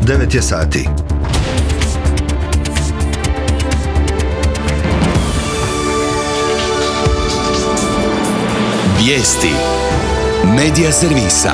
9 je sati. Vijesti Medija servisa.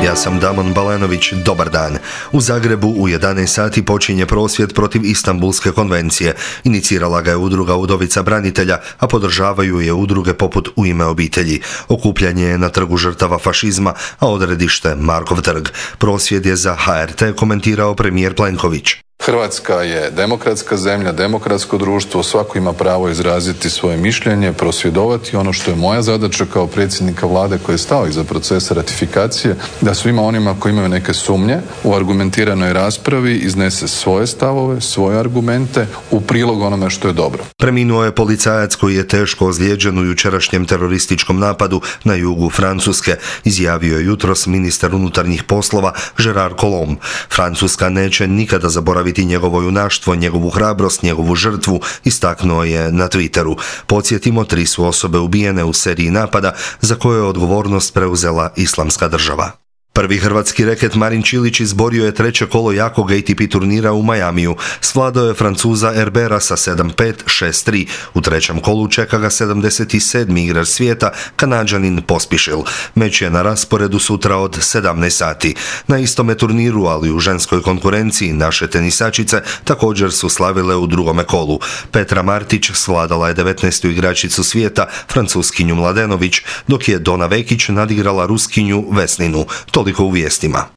Ja sam Damon Balenović, dobar dan. U Zagrebu u 11 sati počinje prosvjed protiv Istanbulske konvencije. Inicirala ga je udruga Udovica branitelja, a podržavaju je udruge poput U ime obitelji. Okupljanje je na Trgu žrtava fašizma, a odredište Markov trg. Prosvjed je za HRT komentirao premijer Plenković. Hrvatska je demokratska zemlja, demokratsko društvo, svako ima pravo izraziti svoje mišljenje, prosvjedovati. Ono što je moja zadaća kao predsjednika vlade koji je stao iza procesa ratifikacije, da svima onima koji imaju neke sumnje u argumentiranoj raspravi iznese svoje stavove, svoje argumente u prilog onome što je dobro. Preminuo je policajac koji je teško ozlijeđen u jučerašnjem terorističkom napadu na jugu Francuske, izjavio je jutros ministar unutarnjih poslova Gerard Collomb. Francuska neće nikada zaboraviti njegovo junaštvo, njegovu hrabrost, njegovu žrtvu, istaknuo je na Twitteru. Podsjetimo, 3 su osobe ubijene u seriji napada za koje je odgovornost preuzela Islamska država. Prvi hrvatski reket Marin Čilić izborio je 3. kolo jakog ATP turnira u Majamiju. Svladao je Francuza Herbera sa 7-5, 6-3. U 3. kolu čeka ga 77. igrač svijeta, Kanađanin Pospišil. Meč je na rasporedu sutra od 17 sati. Na istome turniru, ali u ženskoj konkurenciji, naše tenisačice također su slavile u 2. kolu. Petra Martić svladala je 19. igračicu svijeta, Francuskinju Mladenović, dok je Dona Vekić nadigrala Ruskinju Vesninu. Toliko u vijestima.